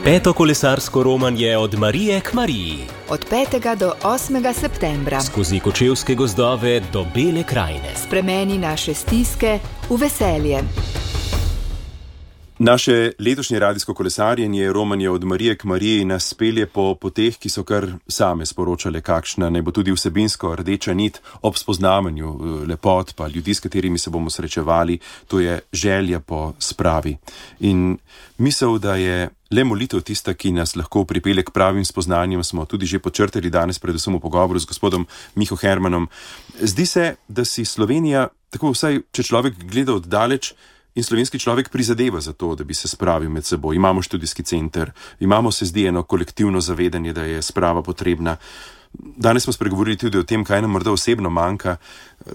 Peto kolesarsko romanje od Marije k Mariji. Od 5. do 8. septembra. Skozi kočevske gozdove do Bele krajine. Spremeni naše stiske v veselje. Naše letošnje radijsko kolesarjenje romanje od Marije k Mariji nas pelje po poteh, ki so kar same sporočale, kakšna naj bo tudi vsebinsko rdeča nit ob spoznavanju lepot pa ljudi, s katerimi se bomo srečevali, to je želja po spravi. In misel, da je le molitev tista, ki nas lahko pripelje k pravim spoznanjem, smo tudi že počrtali danes, predvsem v pogovoru z gospodom Miho Hermanom. Zdi se, da si Slovenija, tako vsaj če človek gleda od daleč, in slovenski človek prizadeva za to, da bi se spravil med seboj. Imamo študijski center, imamo, se zdi, eno kolektivno zavedanje, da je sprava potrebna. Danes smo spregovorili tudi o tem, kaj nam morda osebno manjka,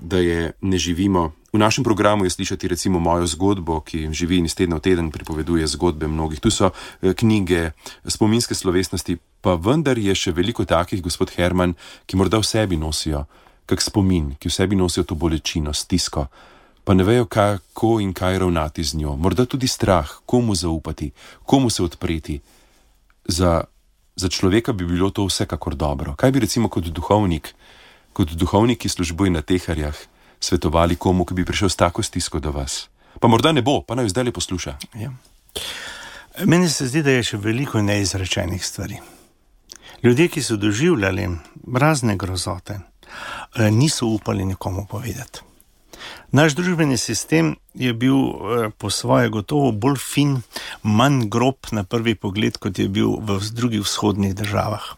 da je ne živimo. V našem programu je slišati recimo mojo zgodbo, ki živi in iz tedna v teden pripoveduje zgodbe mnogih. Tu so knjige, spominske slovesnosti, pa vendar je še veliko takih, gospod Herman, ki morda v sebi nosijo kak spomin, ki v sebi nosijo to bolečino, stisko, pa ne vejo, kako in kaj ravnati z njo. Morda tudi strah, komu zaupati, komu se odpreti. Za človeka bi bilo to vsekakor dobro. Kaj bi recimo kot duhovnik, ki službuje na teharjah, svetovali komu, ki bi prišel s tako stisko do vas? Pa morda ne bo, pa naj zdaj le posluša. Ja. Meni se zdi, da je še veliko neizrečenih stvari. Ljudje, ki so doživljali razne grozote, niso upali nikomu povedati. Naš družbeni sistem je bil po svoje gotovo bolj fin, manj grob na prvi pogled, kot je bil v drugih vzhodnih državah.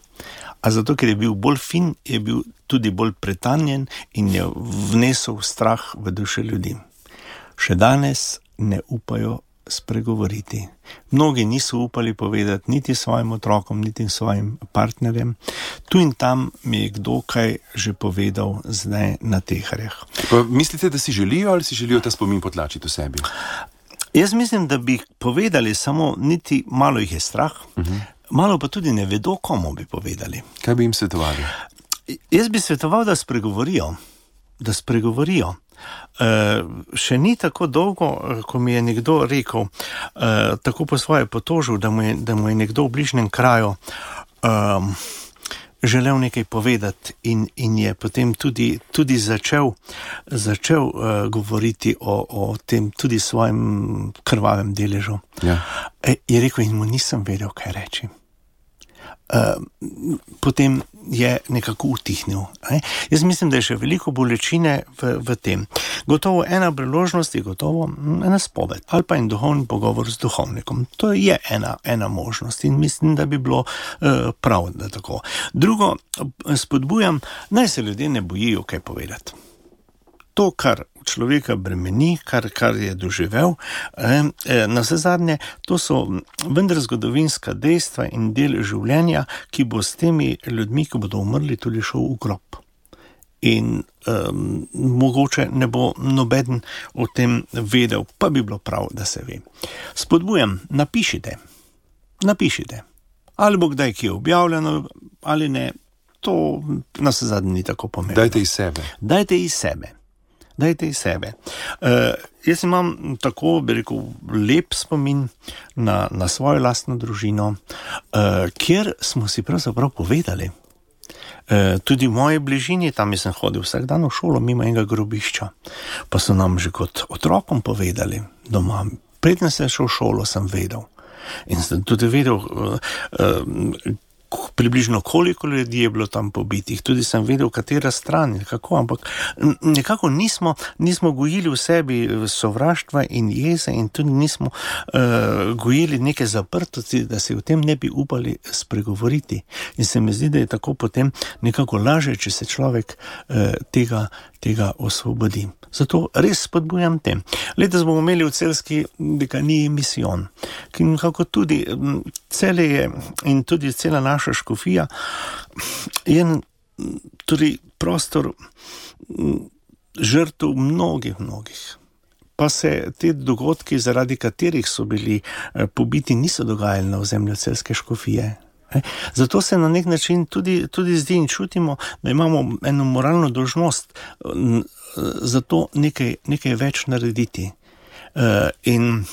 A zato, ker je bil bolj fin, je bil tudi bolj pretanjen in je vnesel strah v duše ljudi. Še danes ne upajo spregovoriti. Mnogi niso upali povedati niti svojim otrokom, niti svojim partnerjem. Tu in tam mi je kdo kaj že povedal zdaj na teharjah. Pa mislite, da si želijo ali si želijo ta spomin potlačiti v sebi? Jaz mislim, da bi povedali, samo niti malo jih je strah, malo pa tudi ne vedo, komu bi povedali. Kaj bi jim svetovali? Jaz bi svetoval, da spregovorijo. Še ni tako dolgo, ko mi je nekdo rekel, tako po svoje potožil, da mu je nekdo v bližnjem kraju želel nekaj povedati in je potem tudi začel govoriti o tem tudi svojem krvavem deležu. Ja. Je rekel in mu nisem vedel, kaj reči. Potem je nekako utihnil. Jaz mislim, da je še veliko bolečine v tem. Gotovo ena priložnost je gotovo ena spoved ali pa en duhovni pogovor z duhovnikom. To je ena možnost in mislim, da bi bilo prav, da tako. Drugo, spodbujam, naj se ljudje ne bojijo kaj povedati. To, kar človeka bremeni, kar je doživel, na vse zadnje, to so vendar zgodovinska dejstva in del življenja, ki bo s temi ljudmi, ki bodo umrli, tudi šel v grob. In mogoče ne bo nobeden o tem vedel, pa bi bilo prav, da se ve. Spodbujam, napišite. Ali bo kdaj ki je objavljeno, ali ne, to na vse zadnje ni tako pomembno. Dajte iz sebe. Jaz imam tako, bi rekel, lep spomin na svojo lastno družino, kjer smo si pravzaprav povedali. Tudi v moji bližini, tam sem hodil vsak dan v šolo mimo enega grobišča, pa so nam že kot otrokom povedali doma. Preden sem šel v šolo, sem vedel. In sem tudi vedel, približno koliko ljudi je bilo tam pobitih, tudi sem vedel, katera stran, kako, ampak nekako nismo gojili v sebi sovraštva in jeze in tudi nismo gojili neke zaprtosti, da se o tem ne bi upali spregovoriti. In se mi zdi, da je tako potem nekako laže, če se človek tega osvobodi. Zato res spodbujam tem. Letos bomo imeli v Celjski dekaniji misijon, ki nekako tudi Celje je in tudi cela naša škofija je tudi prostor žrtev mnogih. Pa se te dogodki, zaradi katerih so bili pobiti, niso dogajali na ozemlju Celjske škofije. Zato se na nek način tudi zdi in čutimo, da imamo eno moralno dolžnost za to nekaj več narediti. In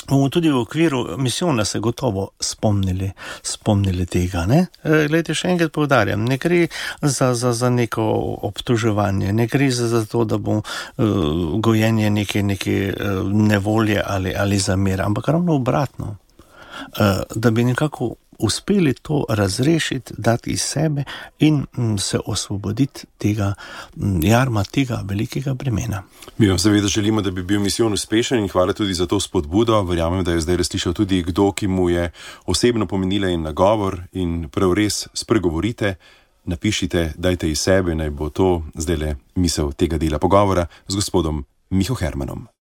bomo tudi v okviru misijona se gotovo spomnili tega. Glejte, še enkrat poudarjam, ne gre za neko obtoževanje, ne gre za to, da bo gojenje neke nevolje ali zamere, ampak ravno obratno, da bi nekako uspeli to razrešiti, dati iz sebe in se osvoboditi tega jarma, tega velikega bremena. Mi vam seveda želimo, da bi bil misijon uspešen in hvala tudi za to spodbudo. Verjamem, da je zdaj slišal tudi kdo, ki mu je osebno pomenila in nagovor in prav res spregovorite, napišite, dajte iz sebe, naj bo to zdajle misel tega dela pogovora z gospodom Miho Hermanom.